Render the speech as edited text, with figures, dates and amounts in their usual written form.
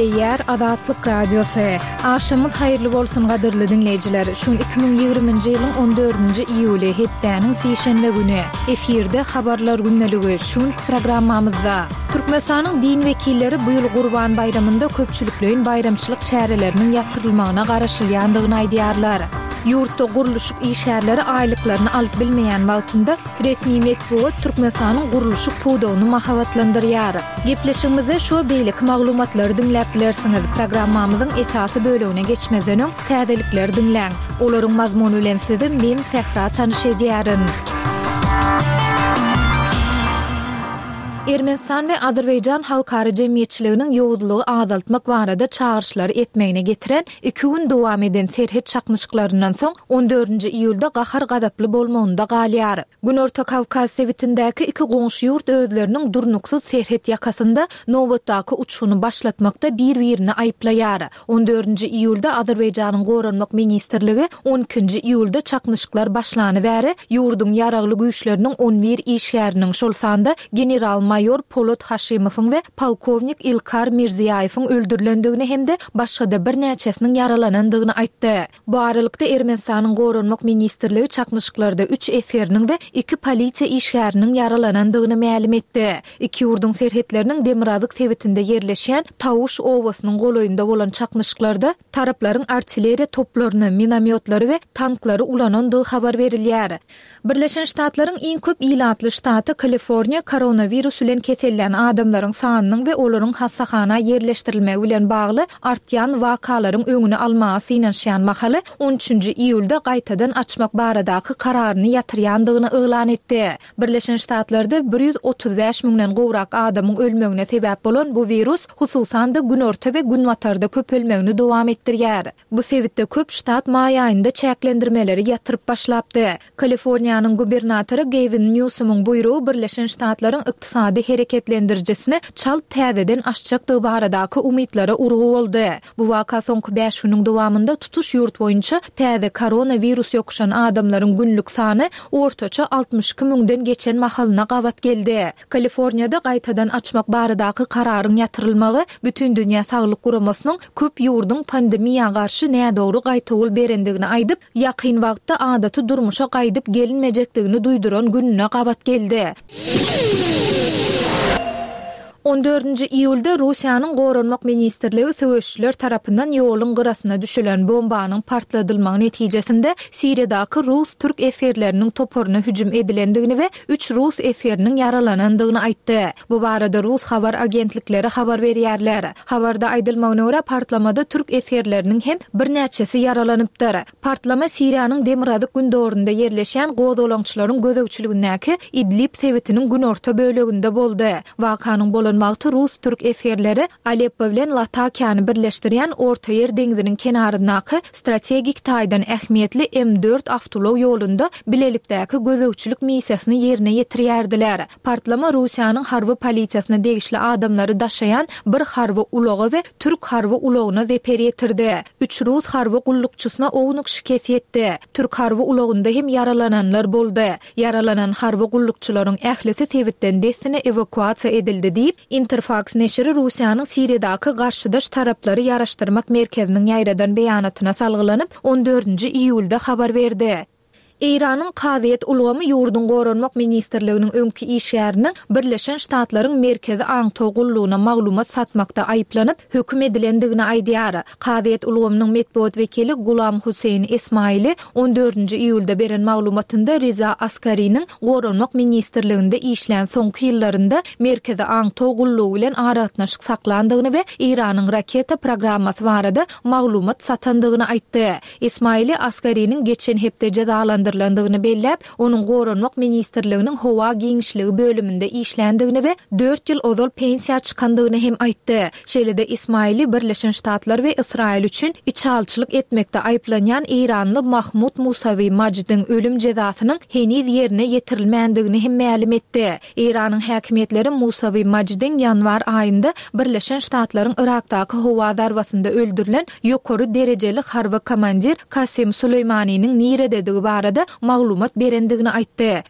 Gepleýär Azatlyk Radiosy. Agşamyňyz haýyrly bolsun gadyrly diňleýjiler. Şu gün 2020-nji ýylyň 14-nji iýuly, hepdäniň sişenbe güni. Efirde Habarlar gündeligi. Şu günki programmamyzda. Türkmenistanyň din wekilleri bu ýyl Gurban baýramynda köpçülikleýin baýramçylyk çäreleriniň ýatyrylmagyna garaşylýandygyny aýdýarlar. Ýurtda gurluşyk işgärleri aýlyklaryny alyp bilmeýän wagtynda resmi metbugat Türkmenistanyň gurluşyk pudagyny mahabatlandyrýar. Gepleşigimizde şu we beýleki maglumatlary diňläp bilersiňiz. Programmamyzyň esasy bölegine geçmezden öň, täzelikleri diňläň. Olaryň mazmuny bilen sizi men, Sähra tanyş edýärin. Ermenistan we Azerbaýjan halkara jemgyýetçiliginiň ýowuzlygy azaltmak barada çagyryşlary etmegine getiren iki gün dowam eden serhet çaknyşyklaryndan soň, on dördünji iýulda gahar-gazaply bolmagynda galýar. Günorta Kawkaz sebitindäki iki goňşy ýurt özleriniň durnuksyz serhet ýakasynda nobatdaky uçguny başlatmakda bir-birini aýyplaýar. On dördünji iýulda Azerbaýjanyň Goranmak ministrligi on ikinji iýulda çaknyşyklar başlany bäri ýurduň ýaragly güýçleriniň on bir işgäriniň, şol sanda general-maýor Polat Haşimowyň we polkownik Ilkar Mirziýaýewiň öldürilendigini hem-de başga-da birnäçesiniň ýaralanandygyny aýtdy. Bu aralykda, Ermenistanyň Goranmak ministrligi çaknyşyklarda üç esgeriniň we iki polisiýa işgäriniň ýaralanandygyny mälim etdi. Iki ýurduň serhetleriniň demirgazyk sebitinde ýerleşýän Tawuş obasynyň golaýynda bolan çaknyşyklarda taraplaryň artilleriýa toplaryny, minomýotlary we tanklary ulanandygy habar berilýär. Birleşen Ştatlaryň iň köp ilatly ştaty Kaliforniýa koronawirus bilen kesellän adamlaryň sanynyň we olaryň hassahana ýerleşdirilmegi bilen bagly artýan wakalaryň öňüni almaga synanyşýan mahaly on üçünji iýulda gaýtadan açmak baradaky kararyny ýatyrýandygyny yglan etdi. Birleşen Ştatlarda 135 müňden gowrak adamyň ölmegine sebäp bolan bu wirus, hususan-da, günorta we günbatarda köpelmegini dowam etdirýär. Bu sebitde köp ştat maý aýynda çäklendirmeleri ýatyryp başlapdy. Kaliforniýanyň gubernatory Gewin Nýusomyň buýrugy Birleşen Ştatlaryň ykdysady hereketlendirijisini çalt täzeden açjakdygy baradaky umytlara urgy boldy. Bu waka soňky bäş günüň dowamynda tutuş ýurt boýunça täze koronawirus ýokuşan adamlaryň günlük sany ortaça 62 müňden geçen mahalyna gabat geldi. Kaliforniýada gaýtadan açmak baradaky kararyň ýatyrylmagy Bütindünýä saglyk guramasynyň köp ýurduň pandemiýa garşy nädogry gaýtawul berendigini aýdyp, ýakyn wagtda adaty durmuşa gaýdyp gelinmejekdigini duýduran gününe gabat geldi. On dördünji iýulda Russiýanyň Goranmak ministrligi söweşijiler tarapyndan ýoluň gyrasyna düşülen bombanyň partladylmagy netijesinde Siriýadaky rus-türk esgerleriniň toparyna hüjüm edilendigini we üç rus esgeriniň ýaralanandygyny aýtdy. Bu barada rus habar agentlikleri habar berýärler. Habarda aýdylmagyna görä, partlamada türk esgerleriniň hem birnäçesi ýaralanypdyr. Partlama Siriýanyň demirgazyk-gündogarynda ýerleşýän gozgalaňçylaryň gözegçiligindäki Idlib sebitiniň günorta böleginde boldy. Wakanyň bolan wagty rus-türk esgerleri Aleppo bilen Latakiýany birleşdirýän Ortaýer deňziniň kenaryndaky strategik taýdan ähmiýetli M dört awtoulag ýolunda bilelikdäki gözegçilik missiýasyny ýerine ýetirýärdiler. Partlama Russiýanyň harby polisiýasyna degişli adamlary daşaýan bir harby ulaga we türk harby ulagyna zeper ýetirdi. Üç rus harby gullukçysyna ownuk şikes ýetdi. Türk harby ulagynda hem ýaralananlar boldy. Ýaralanan harby gullukçylaryň ählisi sebitden dessine ewakuasiýa edildi diýip, Interfaks neşiri Russiýanyň Siriýadaky garşydaş taraplary ýaraşdyrmak merkeziniň ýaýradan beýanatyna salgylanyp, on dördünji iýulda habar berdi. Eýranyň kazyýet ulgamy ýurduň Goranmak ministrliginiň öňki işgäriniň Birleşen Ştatlaryň Merkezi aňtaw gullugyna maglumat satmakda aýyplanyp, höküm edilendigini aýdýar. Kazyýet ulgamynyň metbugat wekili Gulam Husseýn Esmaili on dördünji iýulda beren maglumatynda Riza Askariniň Goranmak ministrliginde işlän soňky ýyllarynda Merkezi aňtaw gullugy bilen aragatnaşyk saklandygyny we Eýranyň raketa programmasy barada maglumat satandygyny aýtdy. Ismaili Askariniň geçen hepde jezalandyrylandygyny belläp, onuň Goranmak ministrliginiň howa giňişligi bölüminde işländigini we dört ýyl ozal pensiýa çykandygyny hem aýtdy. Şeýle-de Ismaili Birleşen Ştatlar we Ysraýyl üçin içalyçylyk etmekde aýyplanýan eýranly Mahmud Musawi Majdiň ölüm jezasynyň heniz ýerine ýetirilmändigini hem mälim etdi. Eýranyň häkimiýetleri Musawi Majdiň ýanwar aýynda Birleşen Ştatlaryň Yrakdaky howa zarbasynda öldürilen ýokary derejeli harby komandir Kasem Suleýmaniniň nirededigi barada maglumat berendigini aýtdy.